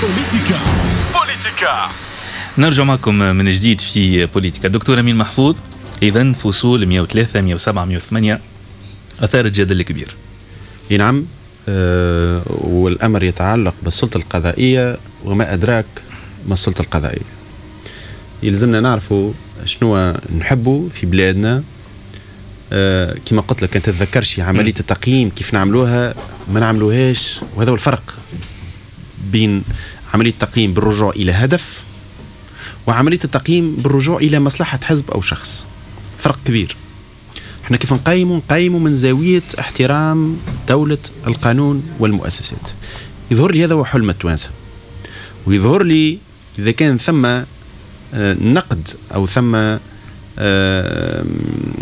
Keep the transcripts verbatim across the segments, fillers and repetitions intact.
بوليتيكا بوليتيكا. نرجع معكم من جديد في بوليتيكا. دكتور أمين محفوظ، إذا فصول مئة وثلاثة مئة وسبعة مئة وثمانية أثارت جدل كبير. نعم، أه والأمر يتعلق بالسلطة القضائية وما أدراك ما السلطة القضائية. يلزمنا نعرفوا شنو نحبوا في بلادنا. أه كما قلت لك، أنت تتذكرش عملية التقييم كيف نعملوها ما نعملوهاش، وهذا هو الفرق بين عملية التقييم بالرجوع إلى هدف وعملية التقييم بالرجوع إلى مصلحة حزب أو شخص. فرق كبير. احنا كيف نقيموا نقيموا من زاوية احترام دولة القانون والمؤسسات. يظهر لي هذا هو حلم التوانسة، ويظهر لي إذا كان ثم نقد أو ثم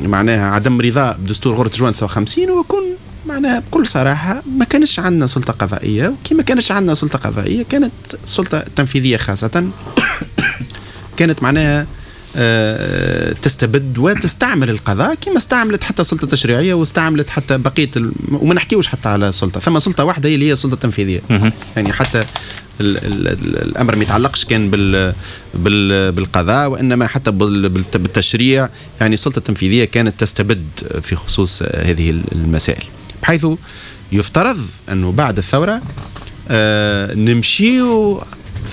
معناها عدم رضا بدستور غرة جوان تسعة وخمسين، ويكون معناها بكل صراحة ما كانش عندنا سلطة قضائية، وكما كانش عندنا سلطة قضائية كانت السلطة التنفيذية خاصة كانت معناها تستبد وتستعمل القضاء كما استعملت حتى السلطة التشريعية واستعملت حتى بقية الم... وما نحكيوش حتى على سلطة، ثم سلطة واحدة هي اللي هي السلطة التنفيذية. يعني حتى ال ال ال الأمر ما يتعلقش كان بال... بال... بالقضاء، وإنما حتى بال... بالتشريع. يعني السلطة التنفيذية كانت تستبد في خصوص هذه المسائل، بحيث يفترض أنه بعد الثورة آه نمشيو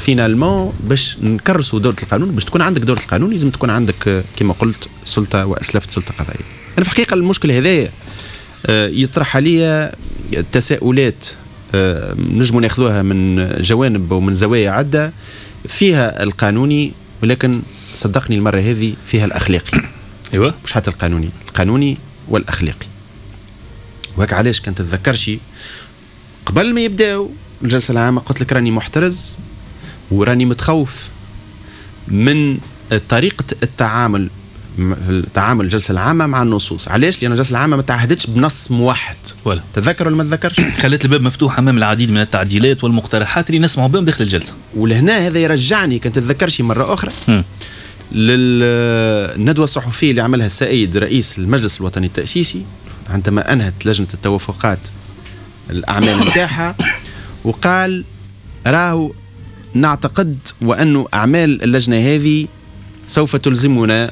finalement باش نكرسوا دولة القانون. باش تكون عندك دولة القانون لازم تكون عندك كما قلت سلطة وأسلفت سلطة قضائية. أنا في الحقيقة المشكل هذايا يطرح عليا تساؤلات نجموا ناخذوها من جوانب ومن زوايا عدة، فيها القانوني، ولكن صدقني المرة هذه فيها الأخلاقي. ايوه، مش حتى القانوني، القانوني والأخلاقي. وهك علاش كنت تتذكرشي قبل ما يبداو الجلسة العامة قلت لك راني محترز وراني متخوف من طريقة التعامل تعامل الجلسة العامة مع النصوص. علاش؟ لأن الجلسة العامة ما تعهدتش بنص موحد. ولا تذكر ولا ما تذكرش؟ خلت الباب مفتوح أمام العديد من التعديلات والمقترحات اللي نسمعوا بهم داخل الجلسة. ولهنا هذا يرجعني كنت تتذكرش مرة أخرى م. للندوة الصحفية اللي عملها السيد رئيس المجلس الوطني التأسيسي عندما أنهت لجنة التوافقات الأعمال نتاعها، وقال راهو نعتقد وأن أعمال اللجنة هذه سوف تلزمنا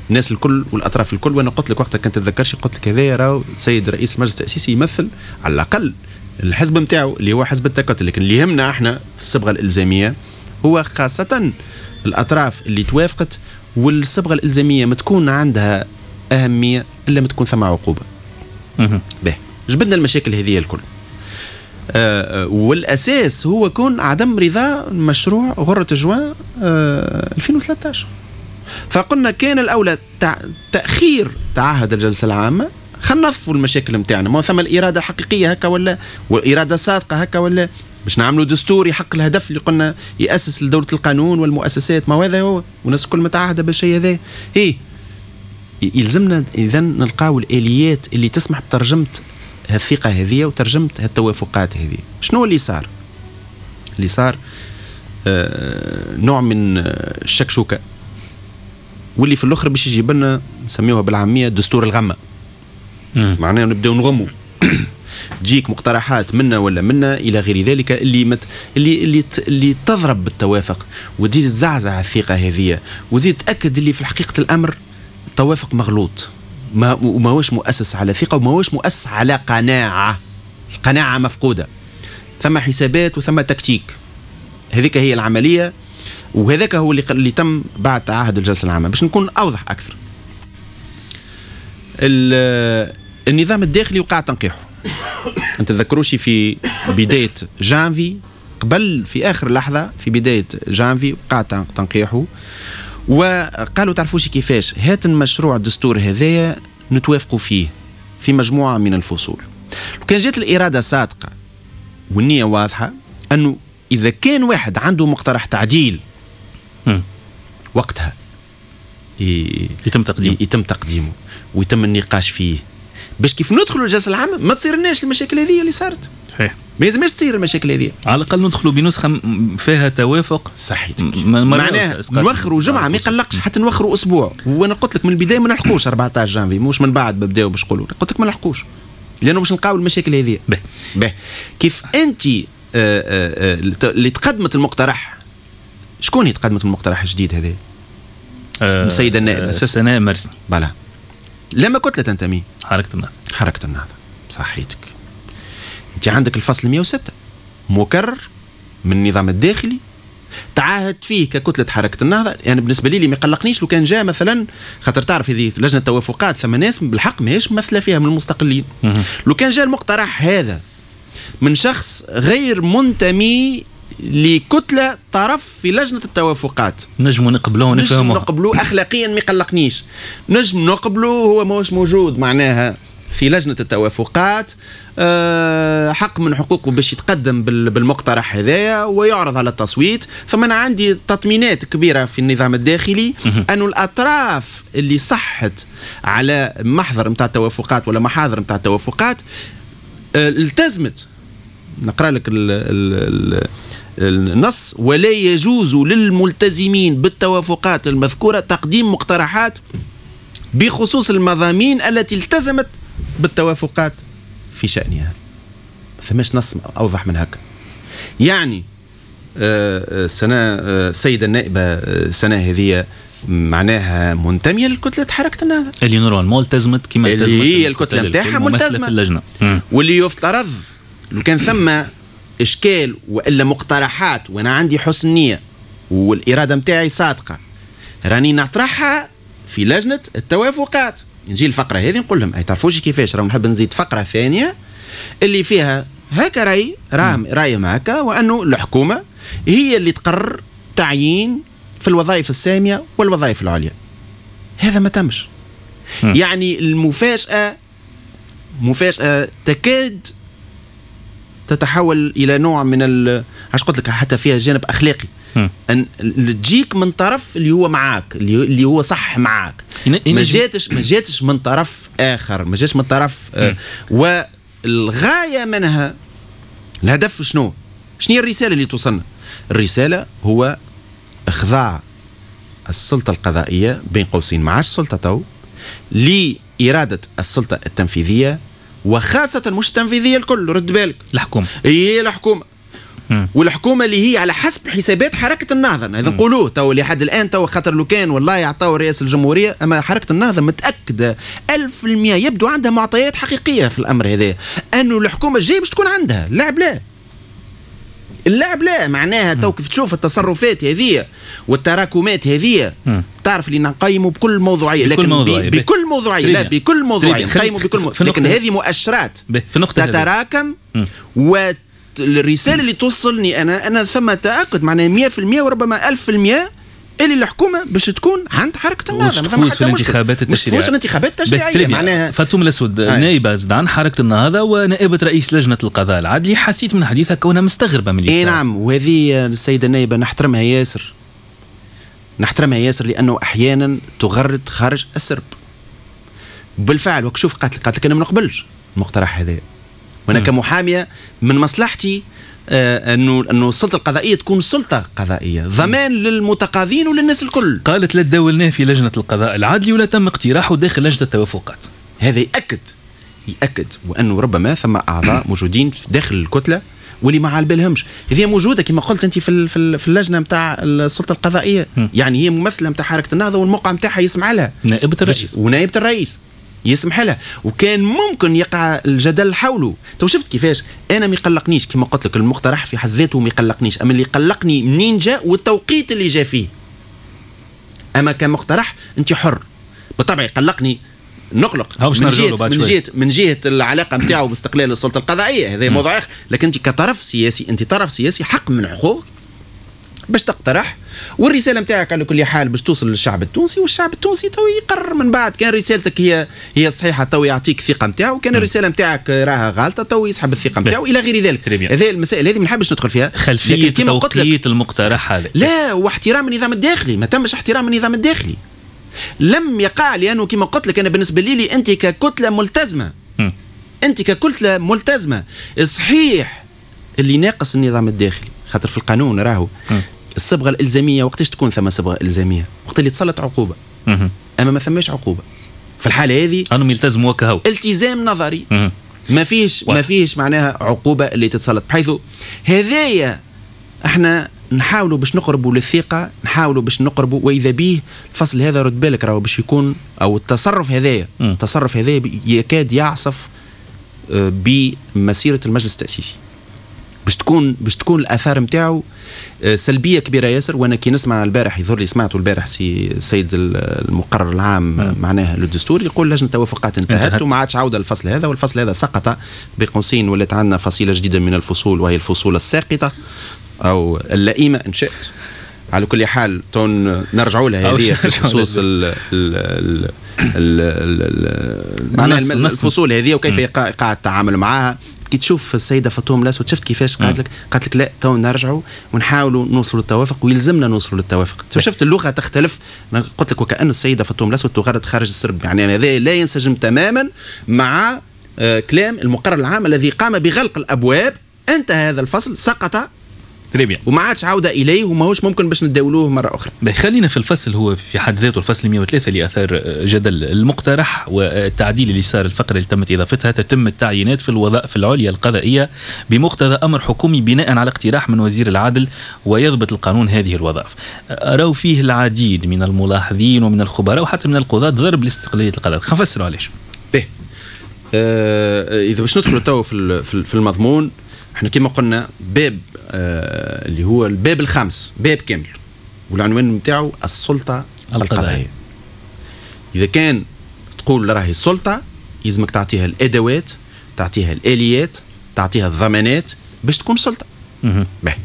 الناس الكل والأطراف الكل. وأنا قلت لك وقتها كنت تتذكرش، قلت لك هذا راهو سيد رئيس المجلس التأسيسي يمثل على الأقل الحزب نتاعو اللي هو حزب التكتل، لكن اللي يهمنا احنا في الصبغة الإلزامية هو خاصة الأطراف اللي توافقت، والصبغة الإلزامية ما تكون عندها أهمية إلا ما تكون ثم عقوبة. به جبدنا المشاكل هذه الكل، آه والأساس هو كون عدم رضا مشروع غرة جوان آه ألفين وثلاثة عشر. فقلنا كان الأولى تأخير تعهد الجلسة العامة، خلينا نظفوا المشاكل نتاعنا، ما ثم الإرادة حقيقية هكا ولا، وإرادة صادقة هكا ولا، باش نعملوا دستور يحقق الهدف اللي قلنا يأسس لدولة القانون والمؤسسات. ما هذا هو، والناس الكل متعهدة بالشيء هذا. إيه يلزمنا إذا نلقاو الآليات اللي تسمح بترجمة هالثقة هذه وترجمة هالتوافقات هذه. شنو اللي صار؟ اللي صار آه نوع من الشكشوكة، واللي في الأخر باش يجيب لنا نسميوها بالعامية دستور الغمة. معناها نبداو نغمو تجيك مقترحات منا ولا منا الى غير ذلك اللي مت... اللي اللي اللي تضرب بالتوافق وتزيد تزعزع الثقة هذه، وتزيد تاكد اللي في حقيقة الامر التوافق مغلوط، ما وماهوش مؤسس على ثقة وماهوش مؤسس على قناعة. القناعة مفقودة، ثم حسابات وثم تكتيك. هذيك هي العملية، وهذاك هو اللي اللي تم بعد تعهد الجلسة العامة. باش نكون اوضح اكثر، النظام الداخلي وقع تنقيحه. انت تذكروش في بداية جانفي، قبل في اخر لحظة في بداية جانفي وقع تنقيحه، وقالوا تعرفوش كيفاش هات المشروع الدستور هذايا نتوافقوا فيه في مجموعة من الفصول. وكان جات الارادة صادقة والنية واضحة انه اذا كان واحد عنده مقترح تعديل وقتها يتم تقديمه يتم تقديمه ويتم النقاش فيه، باش كيف ندخلوا الجلسة العامة ما تصيرناش المشاكل هذه اللي صارت. صحيح، ما يلزمش تصير المشاكل هذه، على الاقل ندخلوا بنسخه فيها توافق. صحيح، معناها نوخروا جمعه ما يقلقش، حتى نوخروا اسبوع. وانا قلت لك من البداية ما نلحقوش أربعة عشر جانفي، مش من بعد بداو باش نقولوا، قلت لك ما نلحقوش لانه باش نلقاو المشاكل هذه. به به كيف انت اللي تقدمت المقترح، شكون اللي تقدمت المقترح الجديد هذا؟ السيدة النائبه سناء مرسني. بلا لما كتلة تنتمي؟ حركة النهضة. حركة النهضة، صحيتك. انت عندك الفصل مئة وستة مكرر من النظام الداخلي تعاهد فيه ككتلة حركة النهضة. يعني بالنسبة لي ما يقلقنيش لو كان جاء مثلا، خاطر تعرف هذه لجنة التوافقات ثم ناس بالحق ماهيش ممثلة فيها من المستقلين. لو كان جاء المقترح هذا من شخص غير منتمي لكتلة طرف في لجنة التوافقات نجموا نقبلوه ونفهموه، نقبلوه أخلاقيا ما يقلقنيش، نجم نقبلوه هو ماهوش موجود معناها في لجنة التوافقات، أه حق من حقوقه باش يتقدم بالمقترح هذايا ويعرض على التصويت. ثم أنا عندي تطمينات كبيرة في النظام الداخلي أن الأطراف اللي صحت على محضر نتاع التوافقات ولا محاضر نتاع التوافقات أه التزمت. نقرأ لك ال ال النص: ولا يجوز للملتزمين بالتوافقات المذكورة تقديم مقترحات بخصوص المضامين التي التزمت بالتوافقات في شأنها. ما ثماش نص أوضح من هكا. يعني سنة السيدة النائبة سنة هذه معناها منتمية لكتلة حركة النهضة اللي normalement التزمت كما التزمت اللي هي الكتلة نتاعها ملتزمة في اللجنة. واللي يفترض لو كان ثم إشكال وإلا مقترحات وأنا عندي حسن نية والإرادة نتاعي صادقة راني نطرحها في لجنة التوافقات. نجي الفقرة هذه نقول لهم أي تعرفوش كيفاش، راهو نحب نزيد فقرة ثانية اللي فيها هكا رأي راه رأي هكا، وأنه الحكومة هي اللي تقرر تعيين في الوظائف السامية والوظائف العليا. هذا ما تمش. م. يعني المفاجأة مفاجأة تكاد تتحول إلى نوع من ال عاش قلت لك حتى فيها جانب أخلاقي، أن تجيك من طرف اللي هو معاك، اللي هو صح معاك، ما جاتش ما جاتش من طرف آخر، ما جاتش من طرف آه والغاية منها الهدف شنو؟ شنو هي الرسالة اللي توصلنا؟ الرسالة هو إخضاع السلطة القضائية بين قوسين معاش السلطة تو لإرادة السلطة التنفيذية، وخاصة مش التنفيذية الكل، رد بالك، الحكومة. هي الحكومة، والحكومة اللي هي على حسب حسابات حركة النهضة، هذا نقولوه تو لحد الآن تو، خاطر لو كان والله يعطاو رئاسة الجمهورية، أما حركة النهضة متأكدة ألف في المية يبدو عندها معطيات حقيقية في الأمر هذا، أنه الحكومة الجاية باش تكون عندها اللعب لا اللعب لا معناها تو كيف تشوف التصرفات هذه والتراكمات هذه تعرف اللي نقيموا بكل موضوعية، لكن بكل موضوعية بكل موضوعية لا بكل موضوعية نقيموا بكل موضوعية، لكن هذه مؤشرات تتراكم، والرسالة اللي توصلني انا انا ثم تاكد معناها مية في المية وربما ألف في المية اللي الحكومة باش تكون عند حركة النهضة، تفوز في الانتخابات التشريعية، تفوز في الانتخابات التشريعية. معناها فاطمة الأسود نائبه زاد عن حركة النهضة ونائبه رئيس لجنة القضاء العدلي، حسيت من حديثها كونها مستغربه من اللي اي نعم، وهذه السيدة النائبه نحترمها ياسر، نحترمها ياسر لانه احيانا تغرد خارج السرب بالفعل. وكشوف قالت قالت لك انا ما نقبلش المقترح هذا، وانا كمحاميه من مصلحتي آه انه انه السلطة القضائية تكون سلطة قضائية ضمان للمتقاضين وللناس الكل. قالت لا تداولناه في لجنة القضاء العدلي ولا تم اقتراحه داخل لجنة التوافقات. هذا ياكد ياكد وانه ربما ثم اعضاء موجودين داخل الكتلة واللي ما على بالهمش. هذه موجودة كما قلت انت في في اللجنة نتاع السلطة القضائية، م. يعني هي ممثلة نتاع حركة النهضة والموقع نتاعها يسمع لها نائبه الرئيس، ونائبه الرئيس يسمح لها، وكان ممكن يقع الجدل حوله. تو شفت كيفاش انا ما يقلقنيش كما قلت لك المقترح في حد ذاته ما يقلقنيش، اما اللي يقلقني منين جاء والتوقيت اللي جاء فيه. اما كمقترح انت حر بالطبع يقلقني، نقلق من جهة من جهة من جهة العلاقة نتاعو باستقلال السلطة القضائية، هذا موضوع اخر، لكن انت كطرف سياسي، انت طرف سياسي حق من حقوقك باش تقترح، والرسالة نتاعك على كل حال باش توصل للشعب التونسي، والشعب التونسي تو يقرر من بعد كان رسالتك هي هي الصحيحة تو يعطيك الثقة نتاعو، كان الرسالة نتاعك راها غالطه تو يسحب الثقة نتاعو الى غير ذلك. هذه المسائل هذه ما نحبش ندخل فيها. خلفية توقيت المقترح هذا لا، واحترام النظام الداخلي، ما تمش احترام النظام الداخلي، لم يقع، لانه كما قلت لك انا بالنسبة لي انت ككتله ملتزمة، م. انت ككتله ملتزمة صحيح اللي ناقص النظام الداخلي، خاطر في القانون راهو الصبغه الالزاميه وقتاش تكون ثم صبغة الزامية؟ وقت اللي تسلط عقوبه. مم. اما ما ثماش عقوبه في الحالة هذه، انهم يلتزموا وكهو التزام نظري. مم. ما فيش ما فيش معناها عقوبه اللي تتسلط، بحيث هذايا احنا نحاولوا باش نقربوا للثقة، نحاولوا باش نقربوا، واذا به الفصل هذا رد بالك راهو باش يكون، او التصرف هذايا التصرف هذايا يكاد يعصف بمسيره المجلس التاسيسي، باش تكون باش تكون الاثار نتاعو سلبية كبيرة ياسر. وانا كي نسمع البارح، يظهر لي سمعته البارح سي السيد المقرر العام م. معناها للدستور يقول لجنة التوافقات انتهت, انتهت وما عادش عوده للفصل هذا، والفصل هذا سقط بقوسين، ولات عندنا فصيلة جديدة من الفصول وهي الفصول الساقطه او اللئيمه ان شئت. على كل حال تون نرجعوا لها هذه في خصوص ال ال ال معناها الفصول هذه وكيف يقع التعامل معها. كي تشوف السيدة فاطمة الاسود شفت كيفاش قالت لك، قالت لك لا تو نرجعوا ونحاولوا نوصلوا للتوافق ويلزمنا نوصلوا للتوافق. شفت اللغة تختلف، انا قلت لك وكأن السيدة فاطمة الاسود تغرد خارج السرب، يعني هذا لا ينسجم تماما مع كلام المقرر العام الذي قام بغلق الابواب. انتهى هذا الفصل، سقط très bien وما عادش عوده اليه وماهوش ممكن باش نداولوه مرة اخرى. خلينا في الفصل هو في حد ذاته، الفصل مئة وثلاثة اللي اثار جدل، المقترح والتعديل اللي صار، الفقرة اللي تمت اضافتها، تتم التعيينات في الوظائف العليا القضائية بمقتضى امر حكومي بناء على اقتراح من وزير العدل ويضبط القانون هذه الوظائف. راوا فيه العديد من الملاحظين ومن الخبراء وحتى من القضاة ضرب لاستقلاليه القضاء. خلينا نفسروا علاش. به آه اذا باش ندخلوا تو في في المضمون، احنا كما قلنا باب آه اللي هو الباب الخامس، باب كامل والعنوان نتاعو السلطة القضائية. اذا كان تقول راهي السلطة يلزمك تعطيها الادوات، تعطيها الاليات، تعطيها الضمانات باش تكون سلطة. باهي.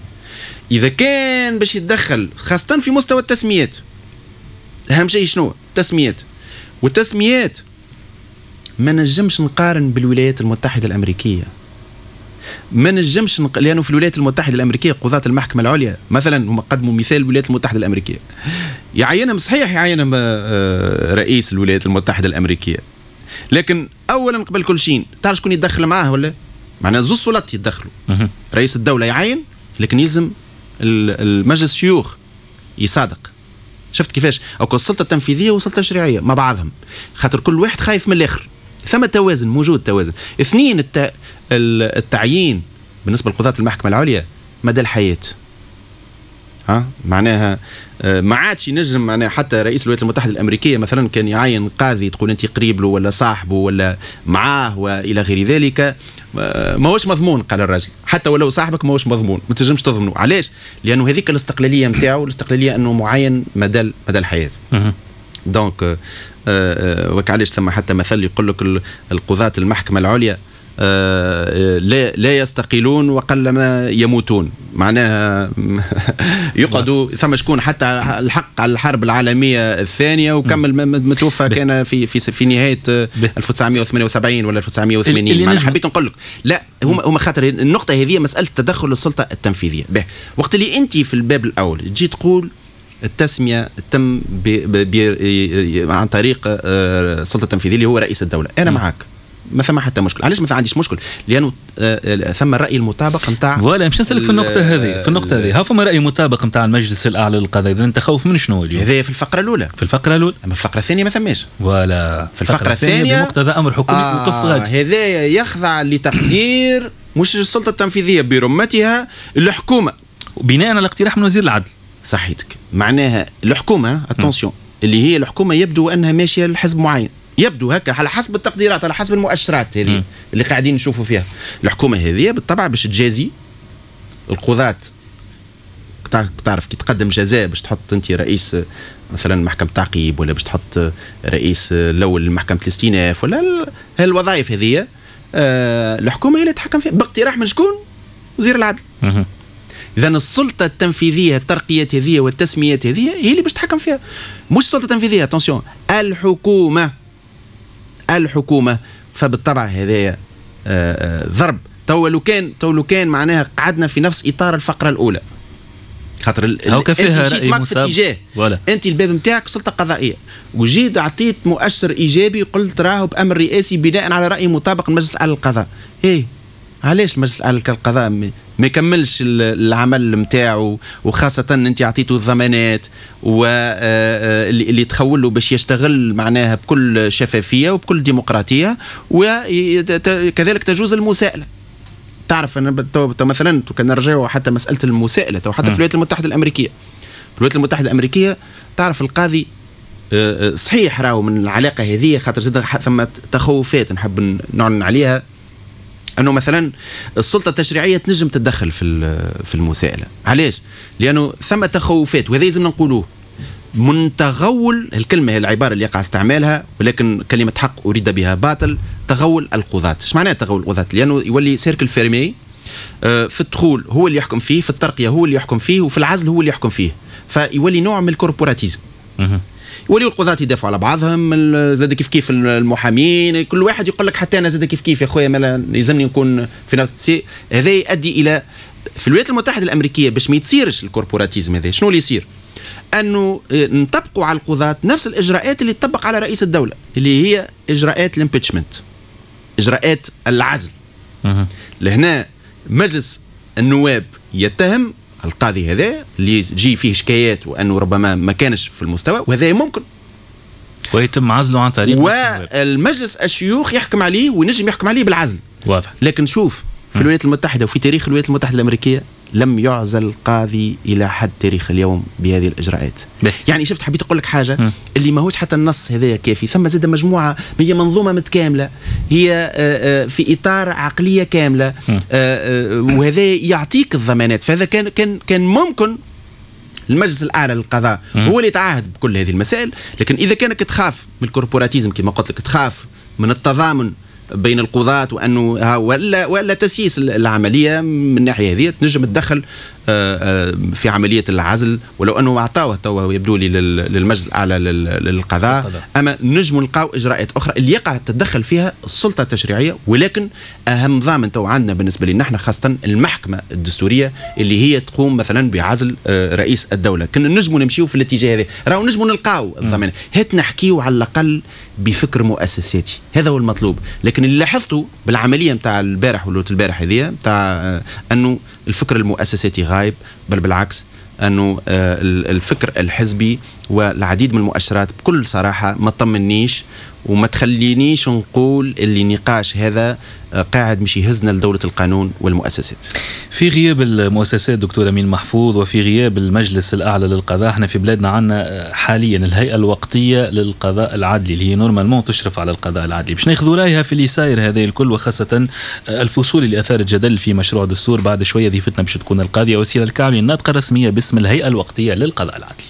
اذا كان باش يتدخل خاصة في مستوى التسميات، اهم شيء شنو؟ التسميات. والتسميات ما نجمش نقارن بالولايات المتحدة الامريكية، ما نجمش نق... لانه في الولايات المتحدة الامريكية قضاه المحكمة العليا مثلا، هم قدموا مثال الولايات المتحدة الامريكية، يعينهم صحيح يعينهم رئيس الولايات المتحدة الامريكية، لكن اولا قبل كل شيء تعرف شكون يتدخل معاه ولا؟ معناها زوج سلطات يتدخلوا، رئيس الدولة يعين لكن يلزم المجلس الشيوخ يصادق. شفت كيفاش؟ او السلطة التنفيذية والسلطة التشريعية مع بعضهم، خاطر كل واحد خايف من الاخر، ثم توازن موجود، توازن. اثنين، الت... التعيين بالنسبة لقضاة المحكمة العليا مدى الحياة، ها معناها ما عادش ينجم، معناها حتى رئيس الولايات المتحدة الامريكية مثلا كان يعين قاضي تقول انت قريب له ولا صاحبه ولا معاه والى غير ذلك، ماهوش مضمون. قال الراجل حتى ولو صاحبك ماهوش مضمون، ما تنجمش تضمنه. علاش؟ لانه هذيك الاستقلالية نتاعو، الاستقلالية انه معين مدى مدى الحياة. donc وكعلاش ثم حتى مثل يقول لك القضاة المحكمة العليا لا لا يستقيلون وقلما يموتون، معناها يقعدوا. ثم شكون حتى الحق على الحرب العالمية الثانية وكمل متوفى كان في في في نهاية ألف وتسعمئة وثمانية وسبعين ولا ألف وتسعمئة وثمانين. معناها حبيت نقول لك لا، هما هما خاطر النقطة هذه مسألة تدخل السلطة التنفيذية. به وقت اللي أنت في الباب الأول تجي تقول التسمية تم عن طريق السلطة التنفيذية اللي هو رئيس الدولة، أنا معك ما ثم حتى مشكل. علاش ما عنديش مشكل؟ لأنه ثم الرأي المطابق نتاع voilà. مش نسألك في النقطة هذه، في النقطة هذه ها فما رأي مطابق نتاع المجلس الأعلى للقضاء، إذا أنت خوف من شنو اليوم؟ هذا في الفقرة الأولى. في الفقرة الأولى، أما الفقرة الثانية ما ثماش. voilà في الفقرة الثانية بمقتضى أمر حكومي آه وقف غادي. هذا يخضع لتقدير مش السلطة التنفيذية برمتها، الحكومة بناء على اقتراح من وزير العدل. صحيتك، معناها الحكومة attention اللي هي الحكومة يبدو انها ماشية لحزب معين، يبدو هكا على حسب التقديرات، على حسب المؤشرات هذه اللي قاعدين نشوفوا فيها. الحكومة هذه بالطبع باش تجازي القضاة، تعرف كي تقدم جزاء باش تحط انت رئيس مثلا محكمة تعقيب ولا باش تحط رئيس الاول لمحكمة الاستئناف ولا هالوظائف هذه، آه الحكومة هي اللي تتحكم فيها باقتراح من شكون؟ وزير العدل. اذا السلطة التنفيذية الترقيات هذه والتسميات هذه هي اللي باش تتحكم فيها، مش السلطة التنفيذية، attention، الحكومة. الحكومة فبالطبع هذايا ضرب. تو لو كان تو لو كان معناها قعدنا في نفس اطار الفقرة الاولى، خاطر انت مشيت معك في اتجاه، انت الباب نتاعك سلطة قضائية، وجيت اعطيت مؤشر ايجابي قلت راهو بامر رئاسي بناء على راي مطابق المجلس الاعلى للقضاء. ايه علاش المجلس الاعلى للقضاء ما يكملش العمل نتاعو، وخاصة انت اعطيته الضمانات واللي اللي تخول له باش يشتغل معناها بكل شفافية وبكل ديمقراطية، وكذلك تجوز المساءله. تعرف انا مثلا كان نرجعوا حتى مسالة المساءلة حتى في الولايات المتحدة الامريكيه، في الولايات المتحدة الامريكية تعرف القاضي آه، آه، صحيح راهو من العلاقة هذه، خاطر زاد ثم تخوفات نحب نعلن عليها، انه مثلا السلطة التشريعية تنجم تتدخل في في المساءله. علاش؟ لانه ثم تخوفات، وهذا لازم نقولوه، من تغول، الكلمة هي العبارة اللي يقع استعمالها ولكن كلمة حق اريد بها باطل، تغول القضاة. ايش معناه تغول القضاة؟ لانه يولي cercle fermé، آه، في الدخول هو اللي يحكم فيه، في الترقية هو اللي يحكم فيه، وفي العزل هو اللي يحكم فيه، فيولي نوع من ال corporatisme. يوليو القضاة يدافعوا على بعضهم، زاد كيف كيف المحامين، كل واحد يقول لك حتى انا زاد كيف كيف يا خويا ما يلزمني نكون في نفس. هذا يؤدي الى في الولايات المتحدة الامريكيه، باش ما يتصيرش ال corporatisme هذا، شنو اللي يصير؟ انه نطبقوا على القضاة نفس الاجراءات اللي تطبق على رئيس الدوله، اللي هي اجراءات ال impeachment، اجراءات العزل. لهنا مجلس النواب يتهم القاضي هذا اللي تجي فيه شكايات وانه ربما ما كانش في المستوى، وهذا ممكن، ويتم عزله عن طريق والمجلس الشيوخ يحكم عليه وينجم يحكم عليه بالعزل. واضح. لكن شوف في الولايات المتحدة وفي تاريخ الولايات المتحدة الامريكية لم يعزل قاضي الى حد تاريخ اليوم بهذه الاجراءات. به. يعني شفت، حبيت اقول لك حاجة م. اللي ماهوش حتى النص هذايا كافي، ثم زاد مجموعه، هي منظومة متكامله، هي آه، آه، في اطار عقلية كامله، آه، وهذا يعطيك الضمانات. فهذا كان كان كان ممكن المجلس الاعلى للقضاء هو اللي يتعهد بكل هذه المسائل. لكن اذا كانك تخاف من ال corporatisme كما قلت لك، تخاف من التضامن بين القضاة وانه ولا ولا تسييس العملية من الناحية هذه، تنجم تدخل آه، آه، في عملية العزل، ولو انه اعطاوه توا يبدو لي للمجلس الاعلى للقضاء، اما نجم نلقاو اجراءات اخرى اللي يقع تتدخل فيها السلطة التشريعيه. ولكن اهم ضامن تو عندنا بالنسبة لنا احنا خاصة المحكمة الدستورية اللي هي تقوم مثلا بعزل آه، رئيس الدوله. كنا نجموا نمشيو في الاتجاه هذا راهو نجموا نلقاو الضمان. هات نحكيو على الاقل بفكر مؤسساتي، هذا هو المطلوب. لكن اللي لاحظته بالعملية نتاع البارح ولا البارح هذه نتاع انه الفكر المؤسساتي غايب، بل بالعكس انه آه، الفكر الحزبي والعديد من المؤشرات بكل صراحة ما تطمنيش وما تخلينيش نقول اللي النقاش هذا آه، قاعد مش يهزنا لدولة القانون والمؤسسات. في غياب المؤسسات دكتور أمين محفوظ، وفي غياب المجلس الأعلى للقضاء، احنا في بلادنا عندنا حاليا الهيئة الوقتية للقضاء العدلي اللي هي normalement تشرف على القضاء العدلي. باش ناخذ رايها في اللي صاير هذا الكل، وخاصة الفصول اللي أثارت جدل في مشروع دستور. بعد شوية ضيفتنا باش تكون القاضية وسيلة الكعبي، الناطقة الرسمية باسم الهيئة الوقتية للقضاء العدلي.